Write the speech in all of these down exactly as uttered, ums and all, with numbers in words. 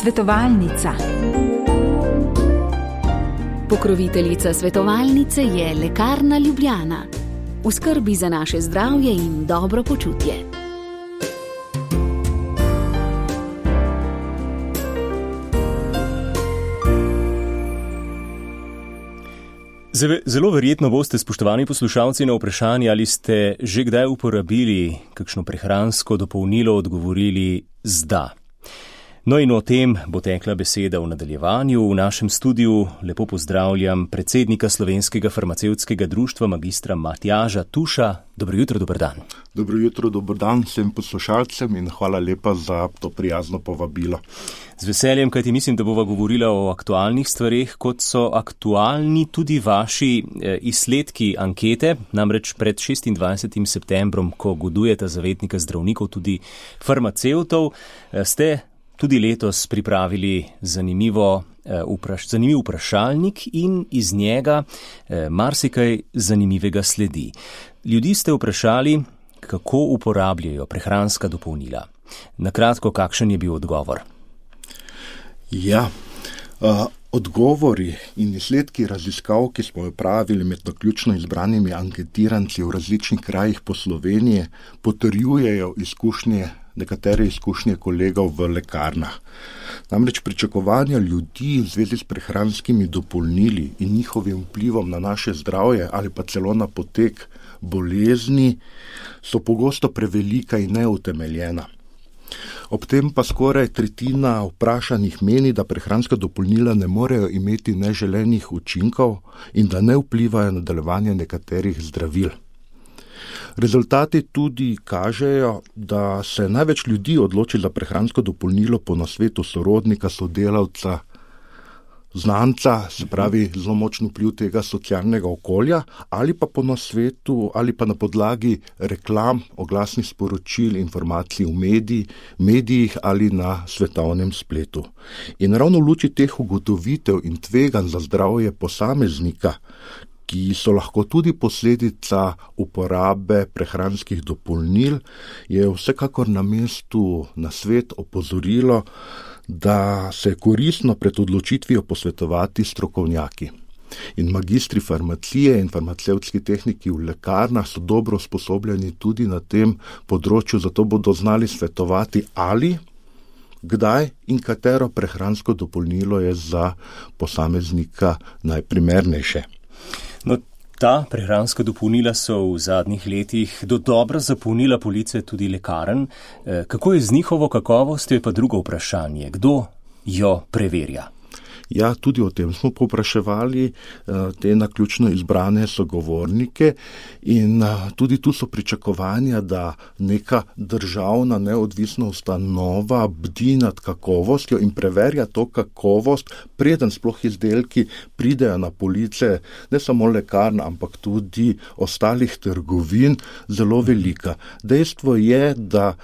Svetovalnica. Pokroviteljica svetovalnice je Lekarna Ljubljana. V skrbi za naše zdravje in dobro počutje. Zelo verjetno boste, spoštovani poslušalci, na vprašanje, ali ste že kdaj uporabili kakšno prehransko dopolnilo, odgovorili z da. No in o tem bo tekla beseda v nadaljevanju. V našem studiu lepo pozdravljam predsednika Slovenskega farmacevtskega društva, magistra Matjaža Tuša. Dobro jutro, dober dan. Dobro jutro, dober dan vsem poslušalcem in hvala lepa za to prijazno povabilo. Z veseljem, kajti mislim, da bova govorila o aktualnih stvareh, kot so aktualni tudi vaši eh, izsledki ankete, namreč pred šestindvajsetim septembrom, ko godujeta zavetnika zdravnikov, tudi farmacevtov, eh, ste tudi letos pripravili zanimivo, eh, vpraš, zanimiv vprašalnik in iz njega eh, marsikaj zanimivega sledi. Ljudi ste vprašali, kako uporabljajo prehranska dopolnila. Na kratko, kakšen je bil odgovor? Ja, uh, odgovori in izsledki raziskav, ki smo jo pravili med naključno izbranimi anketiranci v različnih krajih po Sloveniji, potrjujejo izkušnje, nekatere izkušnje kolegov v lekarnah. Namreč pričakovanja ljudi v zvezi s prehranskimi dopolnili in njihovim vplivom na naše zdravje ali pa celo na potek bolezni so pogosto prevelika in neutemeljena. Ob tem pa skoraj tretjina vprašanih meni, da prehranska dopolnila ne morejo imeti neželenih učinkov in da ne vplivajo na delovanje nekaterih zdravil. Rezultati tudi kažejo, da se največ ljudi odloči za prehransko dopolnilo po nasvetu sorodnika, sodelavca, znanca, se pravi zelo močen vpliv tega socialnega okolja, ali pa po nasvetu, ali pa na podlagi reklam, oglasnih sporočil, informacij v mediji, medijih ali na svetovnem spletu. In ravno v luči teh ugotovitev in tveganj za zdravje posameznika, ki so lahko tudi posledica uporabe prehranskih dopolnil, je vsekakor na mestu nasvet opozorilo, da se je koristno pred odločitvijo posvetovati strokovnjaki. In magistri farmacije in farmacevtski tehniki v lekarnah so dobro usposobljeni tudi na tem področju, zato bodo znali svetovati, ali, kdaj in katero prehransko dopolnilo je za posameznika najprimernejše. No, ta prehranska dopolnila so v zadnjih letih dodobra zapolnila police tudi lekarn. Kako je z njihovo kakovostjo, je pa drugo vprašanje. Kdo jo preverja? Ja, tudi o tem smo povpraševali te naključno izbrane sogovornike in tudi tu so pričakovanja, da neka državna neodvisna ustanova bdi nad kakovostjo in preverja to kakovost, preden sploh izdelki pridejo na police, ne samo lekarn, ampak tudi ostalih trgovin, zelo velika. Dejstvo je, da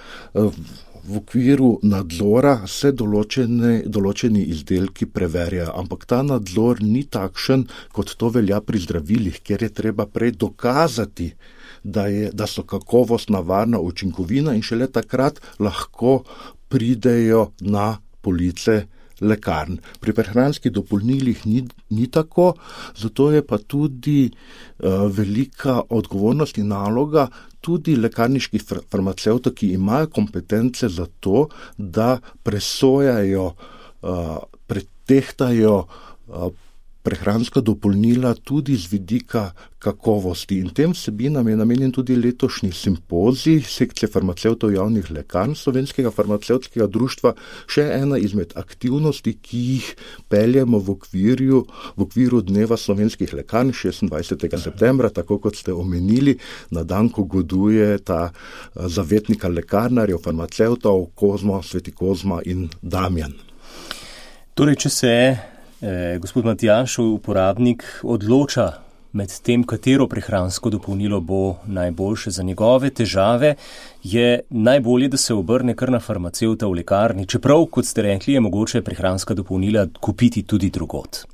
v okviru nadzora se določene, določeni izdelki preverjajo, ampak ta nadzor ni takšen, kot to velja pri zdravilih, kjer je treba prej dokazati, da, je, da so kakovostna, varna, učinkovina in šele takrat lahko pridejo na police lekarn. Pri prehranskih dopolnilih ni, ni tako, zato je pa tudi uh, velika odgovornost in naloga tudi lekarniških farmacevtov, ki imajo kompetence za to, da presojajo, uh, pretehtajo uh, prehranska dopolnila tudi z vidika kakovosti. In tem vsebinam je namenjen tudi letošnji simpozij sekcije farmacevtov javnih lekarn Slovenskega farmacevtskega društva, še ena izmed aktivnosti, ki jih peljemo v okviru, v okviru Dneva slovenskih lekarn šestindvajsetega septembra, tako kot ste omenili, na dan, ko goduje ta zavetnika lekarnarjev, farmacevtov, Kozma, Sveti Kozma in Damjan. Torej, če se Eh, gospod Matjaž, uporabnik, odloča med tem, katero prehransko dopolnilo bo najboljše za njegove težave, je najbolje, da se obrne kar na farmacevta v lekarni, čeprav, kot ste rekli, je mogoče prehranska dopolnila kupiti tudi drugod.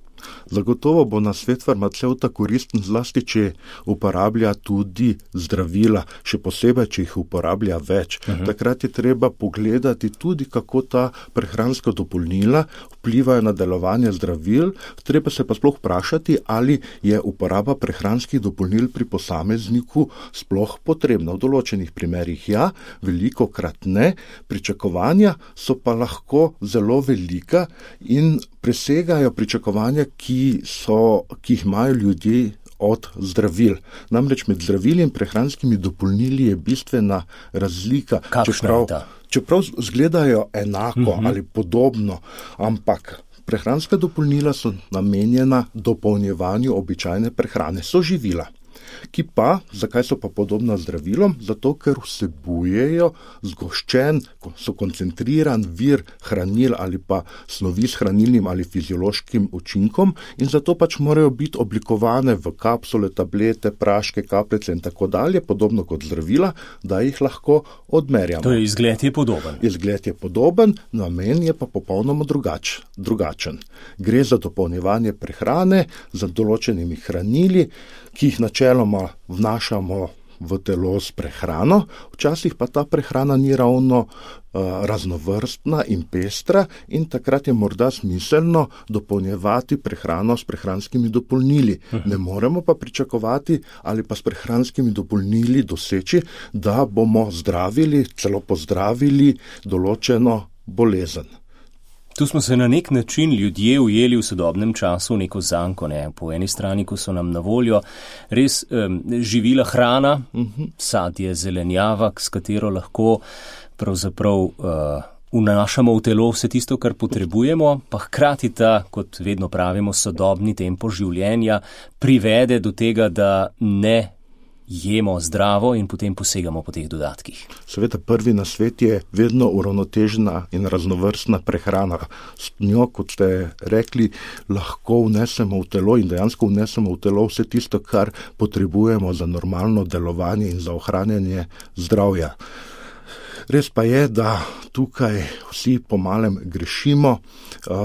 Zagotovo bo na svet farmacevta koristen zlasti, če uporablja tudi zdravila, še posebej, če jih uporablja več. Uh-huh. Takrat je treba pogledati tudi, kako ta prehranska dopolnila vplivajo na delovanje zdravil. Treba se pa sploh vprašati, ali je uporaba prehranskih dopolnil pri posamezniku sploh potrebna. V določenih primerih ja, velikokrat ne. Pričakovanja so pa lahko zelo velika in presegajo pričakovanja, ki so, ki jih imajo ljudje od zdravil. Namreč med zdravili in prehranskimi dopolnili je bistvena razlika. Kakšna je ta? Čeprav zgledajo enako uh-huh. ali podobno, ampak prehranska dopolnila so namenjena dopolnjevanju običajne prehrane, so živila. Ki pa, zakaj so pa podobna zdravilom? Zato, ker vsebujejo zgoščen, so koncentriran vir hranil ali pa snovi s hranilnim ali fiziološkim učinkom in zato pač morajo biti oblikovane v kapsule, tablete, praške, kapljice in tako dalje, podobno kot zdravila, da jih lahko odmerjamo. To je izgled je podoben. Izgled je podoben, namen je pa popolnoma drugač, drugačen. Gre za dopolnjevanje prehrane z določenimi hranili, ki jih načeloma vnašamo v telo s prehrano, včasih pa ta prehrana ni ravno uh, raznovrstna in pestra in takrat je morda smiselno dopolnjevati prehrano s prehranskimi dopolnili. Ne moremo pa pričakovati ali pa s prehranskimi dopolnili doseči, da bomo zdravili, celo pozdravili določeno bolezen. Tu smo se na nek način ljudje ujeli v sodobnem času v neko zanko, ne? Po eni strani, ko so nam na voljo res um, živila hrana, uh-huh. sadje, zelenjava, s katero lahko pravzaprav uh, vnašamo v telo vse tisto, kar potrebujemo, pa hkrati ta, kot vedno pravimo, sodobni tempo življenja privede do tega, da ne jemo zdravo in potem posegamo po teh dodatkih. Seveda prvi na svet je vedno uravnotežena in raznovrstna prehrana. S njo, kot ste rekli, lahko vnesemo v telo in dejansko vnesemo v telo vse tisto, kar potrebujemo za normalno delovanje in za ohranjanje zdravja. Res pa je, da tukaj vsi po malem grešimo,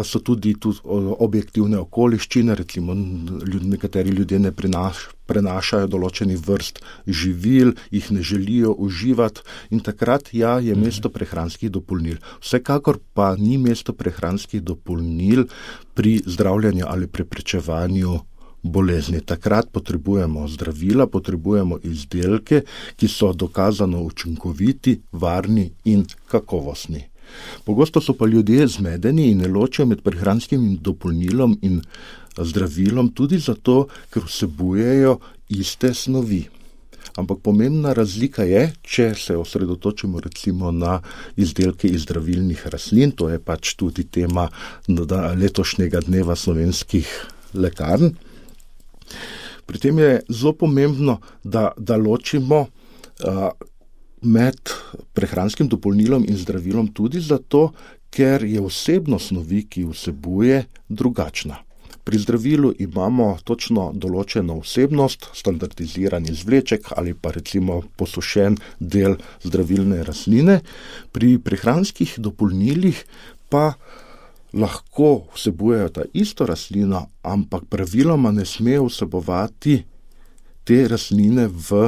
so tudi, tudi objektivne okoliščine, recimo nekateri ljudje ne prinaš, prenašajo določeni vrst živil, jih ne želijo uživati in takrat ja, je mesto prehranskih dopolnil. Vsekakor pa ni mesto prehranskih dopolnil pri zdravljenju ali preprečevanju bolezni. Takrat potrebujemo zdravila, potrebujemo izdelke, ki so dokazano učinkoviti, varni in kakovostni. Pogosto so pa ljudje zmedeni in ne ločijo med prehranskim dopolnilom in zdravilom tudi zato, ker vsebujejo iste snovi. Ampak pomembna razlika je, če se osredotočimo recimo na izdelke iz zdravilnih rastlin, to je pač tudi tema letošnjega dneva slovenskih lekarn. Pri tem je zelo pomembno, da, da ločimo uh, med prehranskim dopolnilom in zdravilom tudi zato, ker je vsebnost snovi, ki vsebuje, drugačna. Pri zdravilu imamo točno določeno vsebnost, standardiziran izvleček ali pa recimo posušen del zdravilne rastline. Pri prehranskih dopolnilih pa lahko vsebujejo ta isto rastlino, ampak praviloma ne smejo vsebovati te rastline v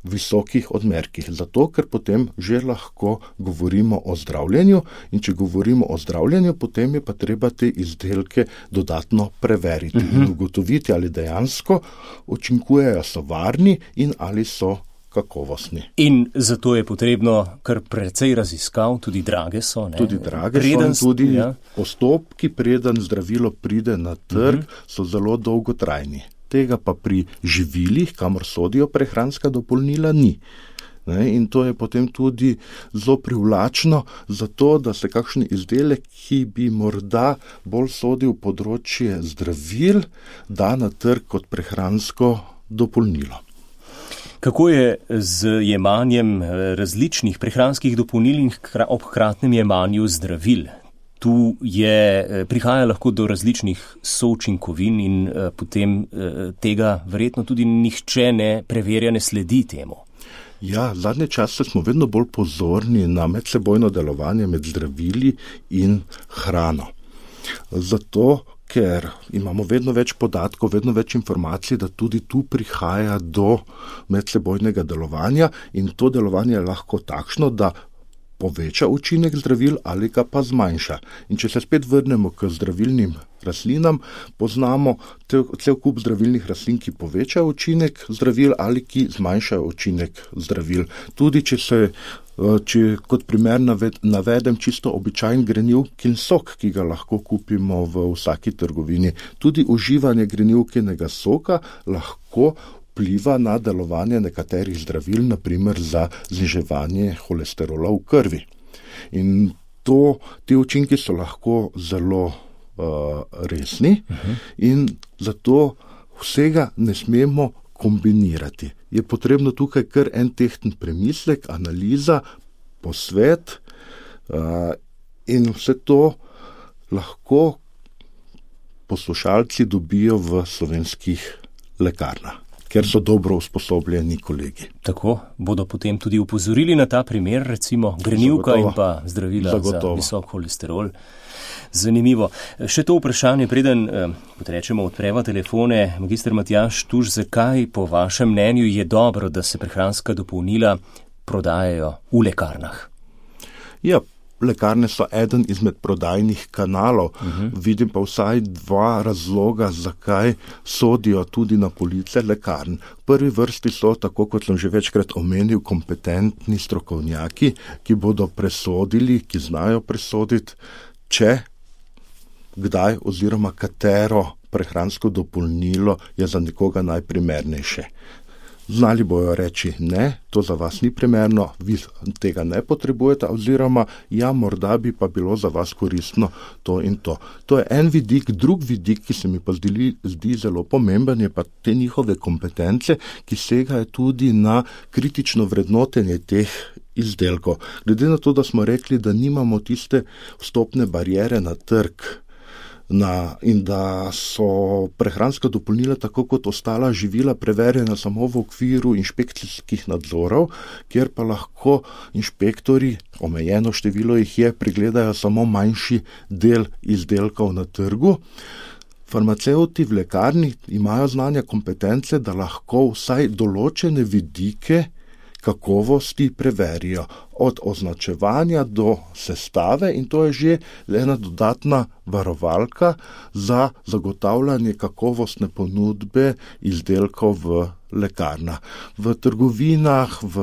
visokih odmerkih. Zato, ker potem že lahko govorimo o zdravljenju in če govorimo o zdravljenju, potem je pa treba te izdelke dodatno preveriti uh-huh. in ugotoviti, ali dejansko učinkujejo, so varni in ali so kakovostni. In zato je potrebno kar precej raziskav, tudi drage so. Ne? Tudi drage preden, so, tudi ja. Postopki, preden zdravilo pride na trg, uh-huh. so zelo dolgotrajni. Tega pa pri živilih, kamor sodijo prehranska dopolnila, ni. Ne? In to je potem tudi zelo privlačno, zato da se kakšen izdelek, ki bi morda bolj sodil področje zdravil, da na trg kot prehransko dopolnilo. Kako je z jemanjem različnih prehranskih dopolnil in ob hkratnem jemanju zdravil? Tu je, prihaja lahko do različnih součinkovin in eh, potem eh, tega verjetno tudi nihče ne preverja, ne sledi temu. Ja, zadnje čase smo vedno bolj pozorni na medsebojno delovanje med zdravili in hrano. Zato, ker imamo vedno več podatkov, vedno več informacij, da tudi tu prihaja do medsebojnega delovanja in to delovanje je lahko takšno, da poveča učinek zdravil ali ga pa zmanjša. In če se spet vrnemo k zdravilnim rastlinam, poznamo cel kup zdravilnih rastlin, ki povečajo učinek zdravil ali ki zmanjšajo učinek zdravil. Tudi če se, če kot primer navedem čisto običajen grenivkin sok, ki ga lahko kupimo v vsaki trgovini. Tudi uživanje grenivkinega soka lahko vpliva na delovanje nekaterih zdravil, na primer za zniževanje holesterola v krvi. In to, ti učinki so lahko zelo uh, resni uh-huh. in zato vsega ne smemo kombinirati. Je potrebno tukaj kar en tehten premislek, analiza, posvet uh, in vse to lahko poslušalci dobijo v slovenskih lekarnah, ker so dobro usposobljeni kolegi. Tako bodo potem tudi upozorili na ta primer, recimo grenivka in pa zdravila Zagotovo. Za visok holesterol. Zanimivo. Še to vprašanje, preden, kot rečemo, odpreva telefone, magister Matjaž Tuš, zakaj po vašem mnenju je dobro, da se prehranska dopolnila prodajajo v lekarnah? Ja, lekarne so eden izmed prodajnih kanalov. Uh-huh. Vidim pa vsaj dva razloga, zakaj sodijo tudi na police lekarn. V prvi vrsti so, tako kot sem že večkrat omenil, kompetentni strokovnjaki, ki bodo presodili, ki znajo presoditi, če, kdaj oziroma katero prehransko dopolnilo je za nekoga najprimernejše. Znali bojo reči, ne, to za vas ni primerno, vi tega ne potrebujete, oziroma ja, morda bi pa bilo za vas koristno to in to. To je en vidik, drug vidik, ki se mi pa zdi, zdi zelo pomemben, je pa te njihove kompetence, ki segajo tudi na kritično vrednotenje teh izdelkov. Glede na to, da smo rekli, da nimamo tiste vstopne bariere na trg, Na, in da so prehranska dopolnila tako kot ostala živila preverjena samo v okviru inšpekcijskih nadzorov, kjer pa lahko inšpektori, omejeno število jih je, pregledajo samo manjši del izdelkov na trgu. Farmacevti v lekarni imajo znanja, kompetence, da lahko vsaj določene vidike kakovosti preverijo, od označevanja do sestave, in to je že ena dodatna varovalka za zagotavljanje kakovostne ponudbe izdelkov v lekarnah. V trgovinah, v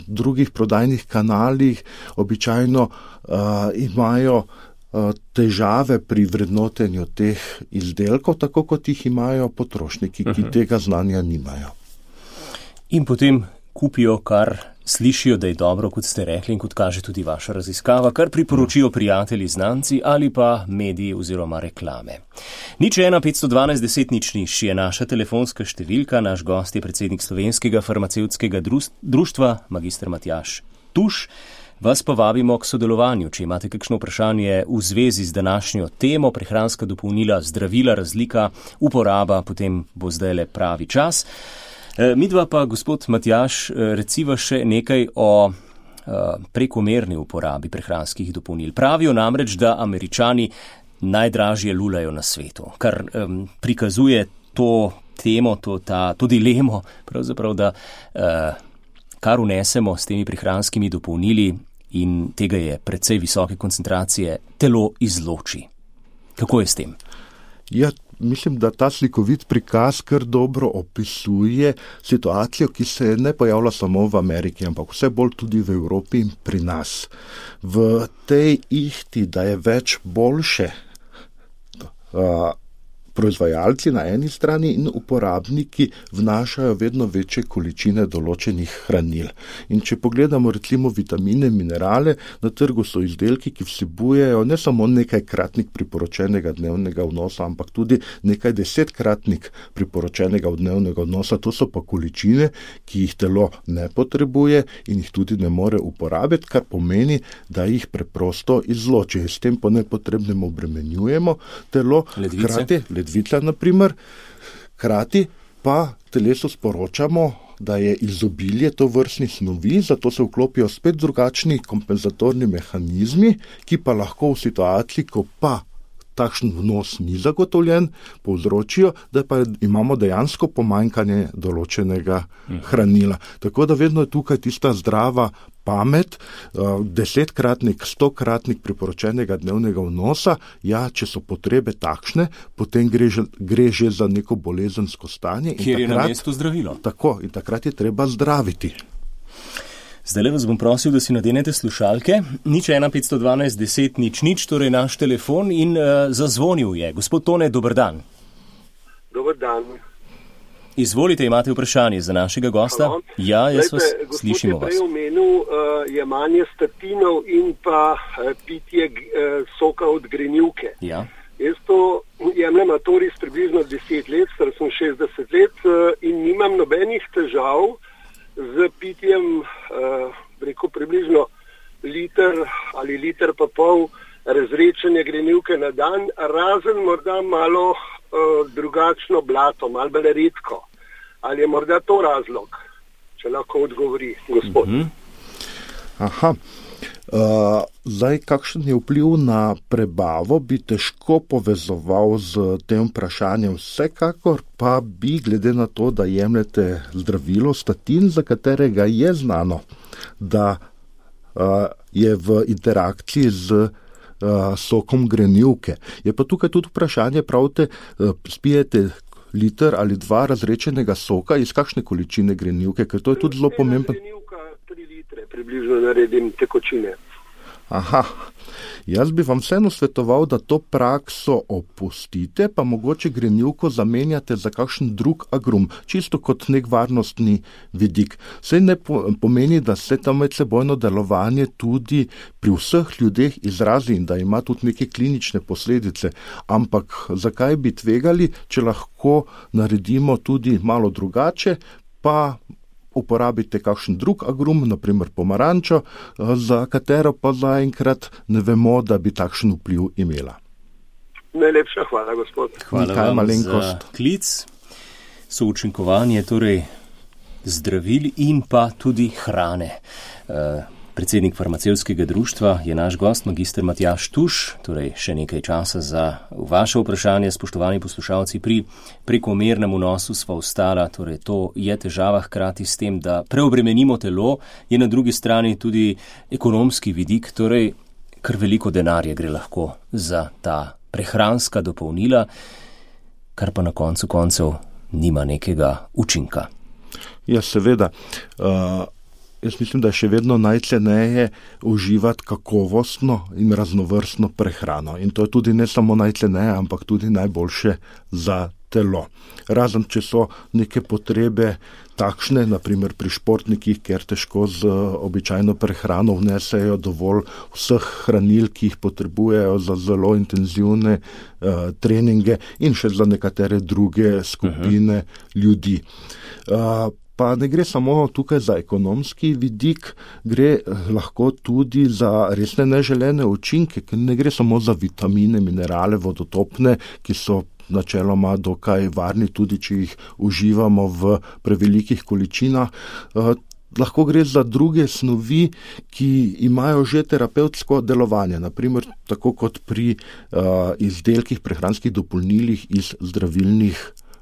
drugih prodajnih kanalih običajno uh, imajo uh, težave pri vrednotenju teh izdelkov, tako kot jih imajo potrošniki, ki uh-huh. tega znanja nimajo. In potem kupijo, kar slišijo, da je dobro, kot ste rekli in kot kaže tudi vaša raziskava, kar priporočijo prijatelji, znanci ali pa mediji oziroma reklame. Nič ena petsto dvanajst deset nič nič je naša telefonska številka, naš gost je predsednik Slovenskega farmacevtskega društva, magister Matjaž Tuš. Vas pa vabimo k sodelovanju, če imate kakšno vprašanje v zvezi z današnjo temo, prehranska dopolnila, zdravila, razlika, uporaba, potem bo zdaj le pravi čas. Midva pa, gospod Matjaž, reciva še nekaj o prekomerni uporabi prehranskih dopolnil. Pravijo namreč, da Američani najdražje lulajo na svetu, kar um, prikazuje to temo, to, ta, to dilemo, pravzaprav, da uh, kar unesemo s temi prehranskimi dopolnili in tega je precej visoke koncentracije, telo izloči. Kako je s tem? Ja, mislim, da ta slikovit prikaz kar dobro opisuje situacijo, ki se ne pojavlja samo v Ameriki, ampak vse bolj tudi v Evropi in pri nas. V tej ihti, da je več boljše, uh, proizvajalci na eni strani in uporabniki vnašajo vedno večje količine določenih hranil. In če pogledamo recimo vitamine, minerale, na trgu so izdelki, ki vsebujejo ne samo nekajkratnik priporočenega dnevnega vnosa, ampak tudi nekaj desetkratnik priporočenega dnevnega vnosa. To so pa količine, ki jih telo ne potrebuje in jih tudi ne more uporabiti, kar pomeni, da jih preprosto izloči. S tem po nepotrebnem obremenjujemo telo. Ledvice. Krati, ledvica, na primer, krati pa telesu sporočamo, da je izobilje tovrstnih snovi, zato se vklopijo spet drugačni kompenzatorni mehanizmi, ki pa lahko v situaciji, ko pa takšen vnos ni zagotovljen, povzročijo, da pa imamo dejansko pomanjkanje določenega hranila. Tako da vedno je tukaj tista zdrava pamet, desetkratnik, stokratnik priporočenega dnevnega vnosa, ja, če so potrebe takšne, potem gre že, gre že za neko bolezensko stanje. Kjer je na mestu zdravilo. Tako, in takrat je treba zdraviti. Zdaj vas bom prosil, da si nadenete slušalke. Nič ena petsto dvanajst deset nič nič, torej naš telefon in uh, zazvonil je. Gospod Tone, dober dan. Dober dan. Izvolite, imate vprašanje za našega gosta? Halo. Ja, jaz Lejte, vas slišimo vas. Gospod je prej omenil uh, jemanje statinov in pa uh, pitje uh, soka od grenivke. Ja. Jaz to jemljem Atoris približno deset let, star sem šestdeset let uh, in nimam nobenih težav z pitjem uh, rekel približno liter ali liter pa pol razrečene grenivke na dan, razen morda malo uh, drugačno blato, malo bolj redko. Ali je morda to razlog, če lahko odgovori gospod? Mm-hmm. Aha. Uh, zdaj, kakšen je vpliv na prebavo, bi težko povezoval z tem vprašanjem. Vsekakor pa bi, glede na to, da jemljete zdravilo statin, za katerega je znano, da uh, je v interakciji z uh, sokom grenivke. Je pa tukaj tudi vprašanje, pravite, uh, spijete liter ali dva razrečenega soka, iz kakšne količine grenivke, ker to je tudi zelo pomembno. Grenivka tri litre, približno naredim tekočine. Aha, jaz bi vam vseeno svetoval, da to prakso opustite, pa mogoče grenivko zamenjate za kakšen drug agrum, čisto kot nek varnostni vidik. Saj ne pomeni, da se tam medsebojno delovanje tudi pri vseh ljudeh izrazi in da ima tudi neke klinične posledice, ampak zakaj bi tvegali, če lahko naredimo tudi malo drugače, pa uporabite kakšen drug agrum, naprimer pomarančo, za katero pa zaenkrat ne vemo, da bi takšen vpliv imela. Najlepša hvala, gospod. Hvala Nikaj vam malenkost. za klic, součinkovanje, torej zdravil in pa tudi hrane. Uh, Predsednik farmacevtskega društva je naš gost, magister Matjaž Tuš, torej še nekaj časa za vaše vprašanje, spoštovani poslušalci. Pri prekomernem vnosu sva ostala, torej to je težava hkrati s tem, da preobremenimo telo, je na drugi strani tudi ekonomski vidik, torej kar veliko denarja gre lahko za ta prehranska dopolnila, kar pa na koncu koncev nima nekega učinka. Ja, seveda. Uh... Jaz mislim, da je še vedno najceneje uživati kakovostno in raznovrstno prehrano. In to je tudi ne samo najceneje, ampak tudi najboljše za telo. Razen, če so neke potrebe takšne, naprimer pri športnikih, ker težko z običajno prehrano vnesejo dovolj vseh hranil, ki jih potrebujejo za zelo intenzivne uh, treninge in še za nekatere druge skupine uh-huh. ljudi. Uh, Pa ne gre samo tukaj za ekonomski vidik, gre lahko tudi za resne neželene učinke, ker ne gre samo za vitamine, minerale, vodotopne, ki so načeloma dokaj varni, tudi če jih uživamo v prevelikih količinah. Eh, lahko gre za druge snovi, ki imajo že terapevtsko delovanje, naprimer tako kot pri eh, izdelkih, prehranskih dopolnilih iz zdravilnih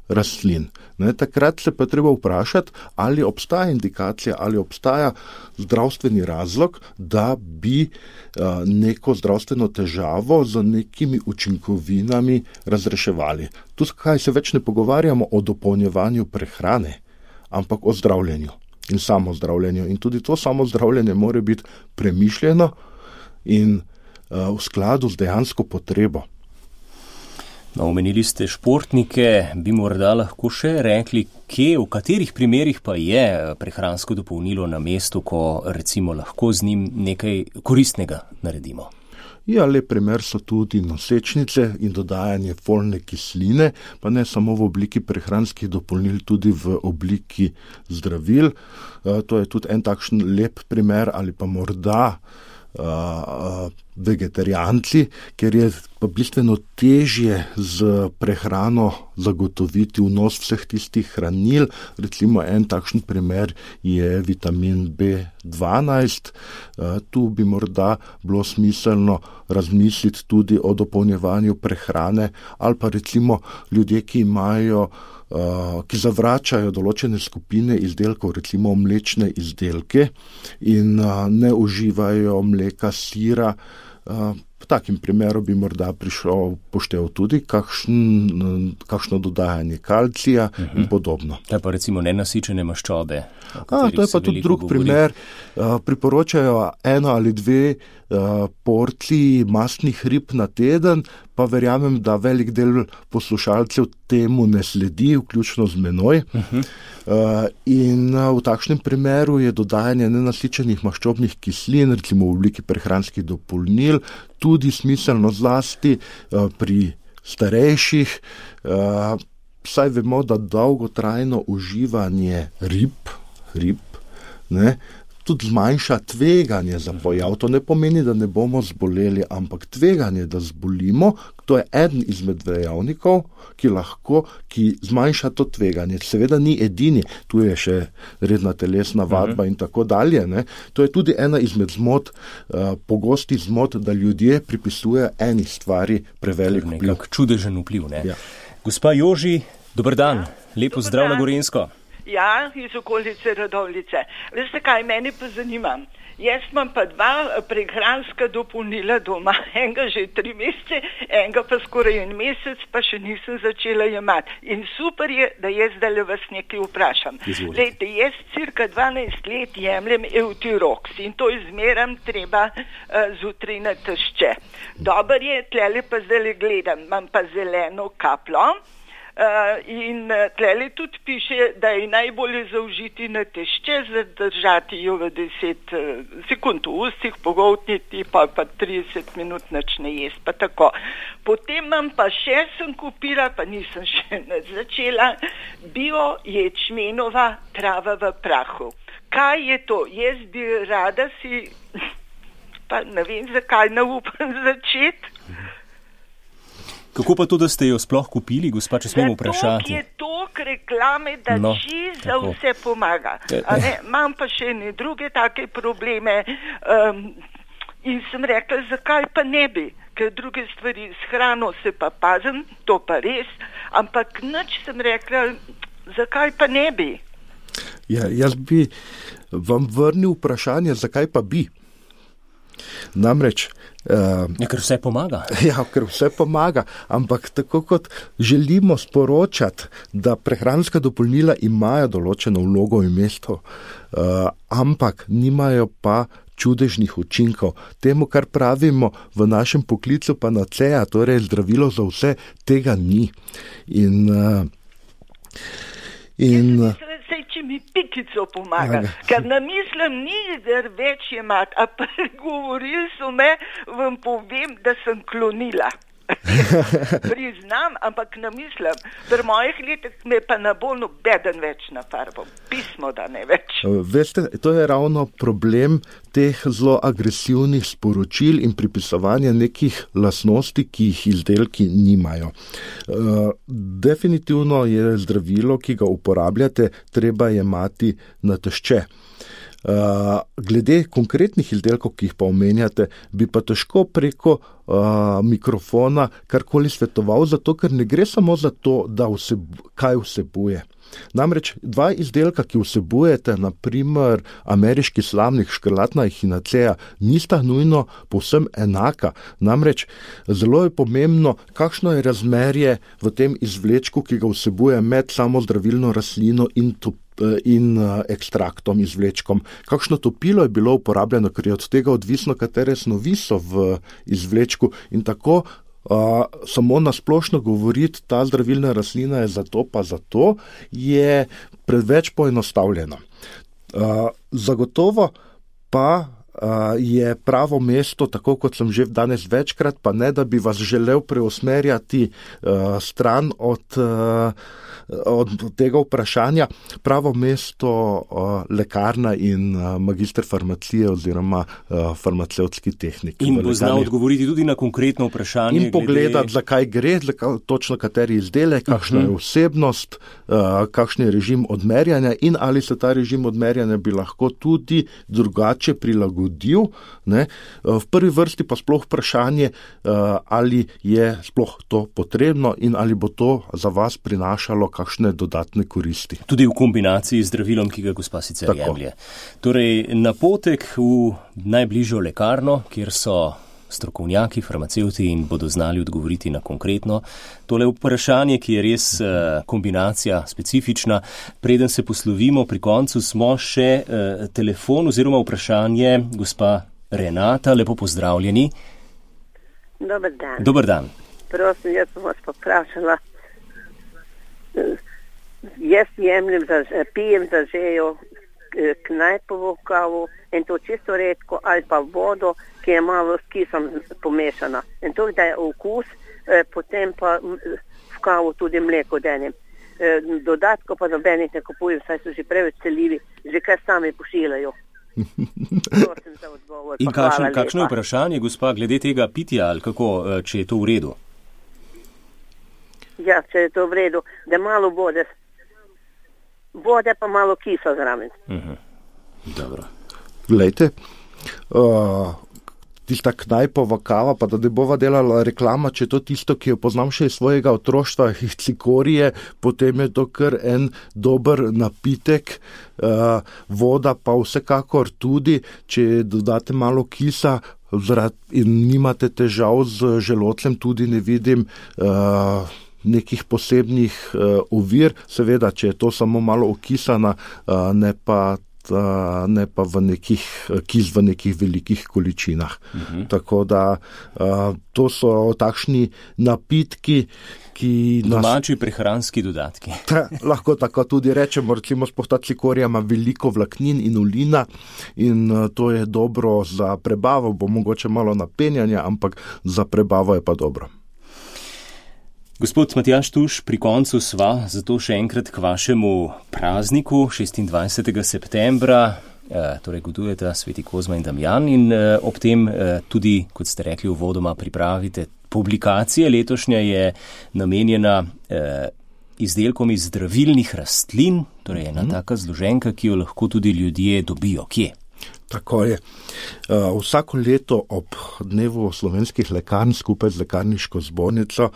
rastlin. Ne, takrat se pa treba vprašati, ali obstaja indikacija, ali obstaja zdravstveni razlog, da bi uh, neko zdravstveno težavo z nekimi učinkovinami razreševali. Tukaj se več ne pogovarjamo o dopolnjevanju prehrane, ampak o zdravljenju in samozdravljenju. In tudi to samozdravljenje mora biti premišljeno in uh, v skladu z dejansko potrebo. No, omenili ste športnike, bi morda lahko še rekli, kje, v katerih primerih pa je prehransko dopolnilo na mestu, ko recimo lahko z njim nekaj koristnega naredimo? Ja, lep primer so tudi nosečnice in dodajanje folne kisline, pa ne samo v obliki prehranskih dopolnil, tudi v obliki zdravil. To je tudi en takšen lep primer ali pa morda uh, vegetarijanci, ker je pa bistveno težje z prehrano zagotoviti vnos vseh tistih hranil. Recimo en takšen primer je vitamin B dvanajst. Uh, tu bi morda bilo smiselno razmisliti tudi o dopolnjevanju prehrane ali pa recimo ljudje, ki imajo Uh, ki zavračajo določene skupine izdelkov, recimo mlečne izdelke in uh, ne uživajo mleka, sira. Uh, v takim primeru bi morda prišel poštev tudi kakšen, kakšno dodajanje kalcija uh-huh. in podobno. To je pa recimo nenasičene maščobe. A, to je pa tudi drug govori. primer. Uh, priporočajo eno ali dve uh, porciji mastnih rib na teden, pa verjamem, da velik del poslušalcev temu ne sledi, vključno z menoj. Uh-huh. Uh, in uh, v takšnem primeru je dodajanje nenasičenih maščobnih kislin, recimo v obliki prehranskih dopolnil, tudi smiselno zlasti uh, pri starejših. Uh, saj vemo, da dolgotrajno uživanje rib, rib ne, tudi zmanjša tveganje za pojav. To ne pomeni, da ne bomo zboleli, ampak tveganje, da zbolimo, to je eden izmed dejavnikov, ki lahko, ki zmanjša to tveganje. Seveda ni edini, tu je še redna telesna vadba uh-huh. in tako dalje. Ne. To je tudi ena izmed zmot, uh, pogosti zmot, da ljudje pripisujejo eni stvari prevelik vpliv. Nekak čudežen vpliv, ne? Ja. Gospa Joži, dober dan, ja. Lepo Dobar zdrav dan. na Gorenjsko. Ja, iz okolice Radovljice. Veste kaj, meni pa zanima. Jaz imam pa dva prehranska dopolnila doma, enega že tri mesece, enega pa skoraj en mesec, pa še nisem začela jemati. In super je, da jaz zdaj vas nekaj vprašam. Lejte, jaz cirka dvanajst let jemljem Eutirox in to izmeram treba uh, zjutraj na tešče. Dober je, tlele pa zdaj gledam, imam pa zeleno kaplo. Uh, in uh, tlele tudi piše, da je najbolje zaužiti na tešče, zadržati jo v deset uh, sekund v ustih, pogoltniti, pa pa trideset minut nič ne jesti, pa tako. Potem imam pa še, sem kupila, pa nisem še začela, bio ječmenova trava v prahu. Kaj je to? Jaz bi rada si, pa ne vem, zakaj ne upam začeti. Kako pa to, da ste jo sploh kupili, gospa, če smemo vprašati? Zato je tok reklame, da no, čiz za vse pomaga. Imam pa še ne druge take probleme um, in sem rekla, zakaj pa ne bi, ker druge stvari s hrano se pa pazim, to pa res, ampak nič sem rekla, zakaj pa ne bi. Ja, jaz bi vam vrnil vprašanje, zakaj pa bi. Namreč, uh, ja, ker vse pomaga. Ja, ker vse pomaga, ampak tako kot želimo sporočati, da prehranska dopolnila imajo določeno vlogo in mesto, uh, ampak nimajo pa čudežnih učinkov. Temu, kar pravimo v našem poklicu panacea, torej zdravilo za vse, tega ni. In, uh, in Sej, če mi pikico pomaga, ja, ker namislim ni več jemati, a pa govorili so me, vam povem, da sem klonila. Priznam, ampak namislim, pri mojih letih me pa ne bo nobeden več na farbo. Pismo, da ne več. Veste, to je ravno problem teh zelo agresivnih sporočil in pripisovanja nekih lastnosti, ki jih izdelki nimajo. Definitivno je zdravilo, ki ga uporabljate, treba jemati na tešče. Uh, glede konkretnih izdelkov, ki jih pa omenjate, bi pa težko preko uh, mikrofona karkoli svetoval, zato ker ne gre samo za to, da vseb, kaj vsebuje. Namreč dva izdelka, ki vsebujete, naprimer ameriški slamnik, škrlatna echinacea, nista nujno povsem enaka. Namreč zelo je pomembno, kakšno je razmerje v tem izvlečku, ki ga vsebuje med samo zdravilno rastlino in to in ekstraktom, izvlečkom. Kakšno topilo je bilo uporabljeno, ker je od tega odvisno, katere snovi so v izvlečku in tako uh, samo nasplošno govoriti, ta zdravilna rastlina je zato pa zato, je preveč poenostavljeno. Uh, zagotovo pa Uh, je pravo mesto, tako kot sem že danes večkrat, pa ne, da bi vas želel preusmerjati uh, stran od, uh, od tega vprašanja. Pravo mesto uh, lekarna in uh, magister farmacije oziroma uh, farmacevtski tehnik. In bo znal odgovoriti tudi na konkretno vprašanje. In pogledati, glede... zakaj gre, točno kateri izdelek, kakšna uh-huh. je vsebnost, uh, kakšen je režim odmerjanja in ali se ta režim odmerjanja bi lahko tudi drugače prilagodil. Ne? V prvi vrsti pa sploh vprašanje, ali je sploh to potrebno in ali bo to za vas prinašalo kakšne dodatne koristi. Tudi v kombinaciji z zdravilom, ki ga gospa sicer Tako. jemlje. Torej, napotek v najbližjo lekarno, kjer so strokovnjaki, farmacevti in bodo znali odgovoriti na konkretno tole vprašanje, ki je res uh, kombinacija specifična. Preden se poslovimo, pri koncu smo še uh, telefon oziroma vprašanje gospa Renata. Lepo pozdravljeni. Dobar dan. Dobar dan. Prosim, jaz sem vas poprašala. Jaz jemljem, za, pijem za žejo knajpovo kavo in to čisto redko ali pa vodo, ki je malo s kisom pomešana. In to, da je okus, eh, potem pa v kavu tudi mleko denem. Eh, dodatko pa nobenih ne kupujem, saj so že preveč celjivi, že kar sami pošiljajo. Prosim za odgovor. In kakšno, kakšno je vprašanje, gospa, glede tega pitja ali kako, če je to v redu? Ja, če je to v redu, da malo vode, vode pa malo kisa zraven. Uh-huh. Dobro. Glejte, uh, tista knajpova kava, pa da ne bova delala reklama, če je to tisto, ki jo poznam še iz svojega otroštva, iz cikorije, potem je to kar en dober napitek, uh, voda pa vsekakor tudi, če dodate malo kisa in nimate težav z želodcem, tudi ne vidim uh, nekih posebnih uh, ovir, seveda, če je to samo malo okisana, uh, ne pa ne pa v nekih, kis v nekih velikih količinah. Uh-huh. Tako da uh, to so takšni napitki, ki nas... Domači prehranski dodatki. Ta, lahko tako tudi rečemo, recimo spohta cikorija ima veliko vlaknin in ulina in uh, to je dobro za prebavo, bo mogoče malo napenjanja, ampak za prebavo je pa dobro. Gospod Matjaž Tuš, pri koncu sva, zato še enkrat k vašemu prazniku šestindvajsetega septembra, eh, torej godujeta sveti Kozma in Damjan in eh, ob tem eh, tudi, kot ste rekli, uvodoma pripravite publikacije. Letošnja je namenjena eh, izdelkom iz zdravilnih rastlin, torej ena mm-hmm. taka zloženka, ki jo lahko tudi ljudje dobijo. Kje? Tako je. Uh, vsako leto ob dnevu slovenskih lekarn skupaj z lekarniško zbornico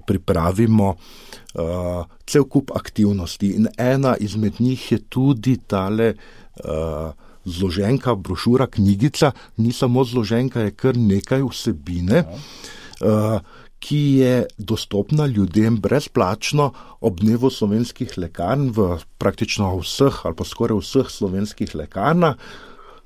pripravimo uh, cel kup aktivnosti in ena izmed njih je tudi tale uh, zloženka, brošura, knjigica, ni samo zloženka, je kar nekaj vsebine, uh, ki je dostopna ljudem brezplačno ob dnevu slovenskih lekarn v praktično vseh ali pa skoraj vseh slovenskih lekarnah.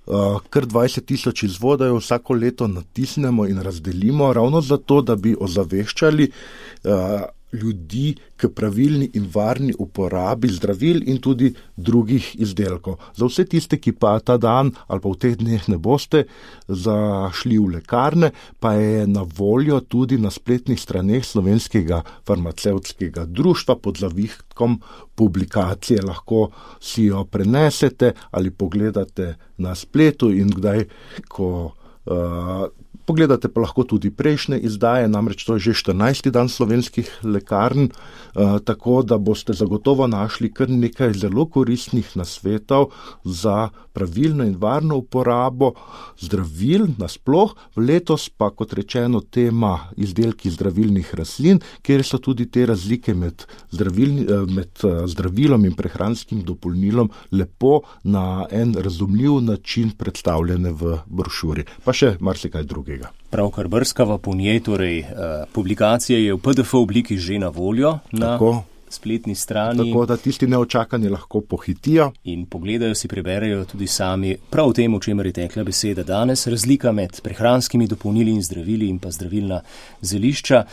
Uh, kar dvajset tisoč izvodov vsako leto natisnemo in razdelimo ravno zato, da bi ozaveščali uh, ljudi k pravilni in varni uporabi zdravil in tudi drugih izdelkov. Za vse tiste, ki pa ta dan ali pa v teh dneh ne boste zašli v lekarne, pa je na voljo tudi na spletnih straneh Slovenskega farmacevtskega društva pod zavihkom publikacije. Lahko si jo prenesete ali pogledate na spletu in kdaj, ko uh, pogledate pa lahko tudi prejšnje izdaje, namreč to je že štirinajsti dan slovenskih lekarn, uh, tako da boste zagotovo našli kar nekaj zelo koristnih nasvetov za pravilno in varno uporabo zdravil nasploh. Letos pa, kot rečeno, tema izdelki zdravilnih rastlin, kjer so tudi te razlike med, zdravilni, med zdravilom in prehranskim dopolnilom lepo na en razumljiv način predstavljene v brošuri. Pa še marsikaj drugega. Pravkar brskava po njej, torej uh, publikacija je v P D F obliki že na voljo na Tako. spletni strani. Tako da tisti neočakani lahko pohitijo. In pogledajo si, preberejo tudi sami prav o tem, o čemer je tekla beseda danes, razlika med prehranskimi dopolnili in zdravili in pa zdravilna zelišča.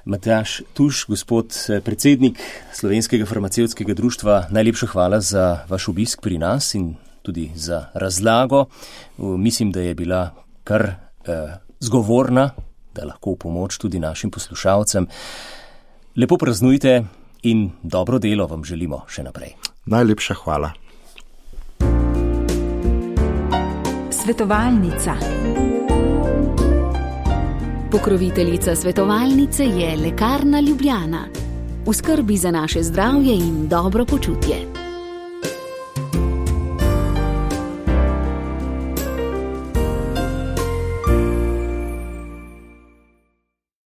Matjaž Tuš, gospod predsednik Slovenskega farmacevtskega društva, najlepša hvala za vaš obisk pri nas in tudi za razlago. Mislim, da je bila kar eh, zgovorna, da lahko v pomoč tudi našim poslušalcem. Lepo praznujte in dobro delo vam želimo še naprej. Najlepša hvala. Svetovalnica. Pokroviteljica svetovalnice je Lekarna Ljubljana. V skrbi za naše zdravje in dobro počutje.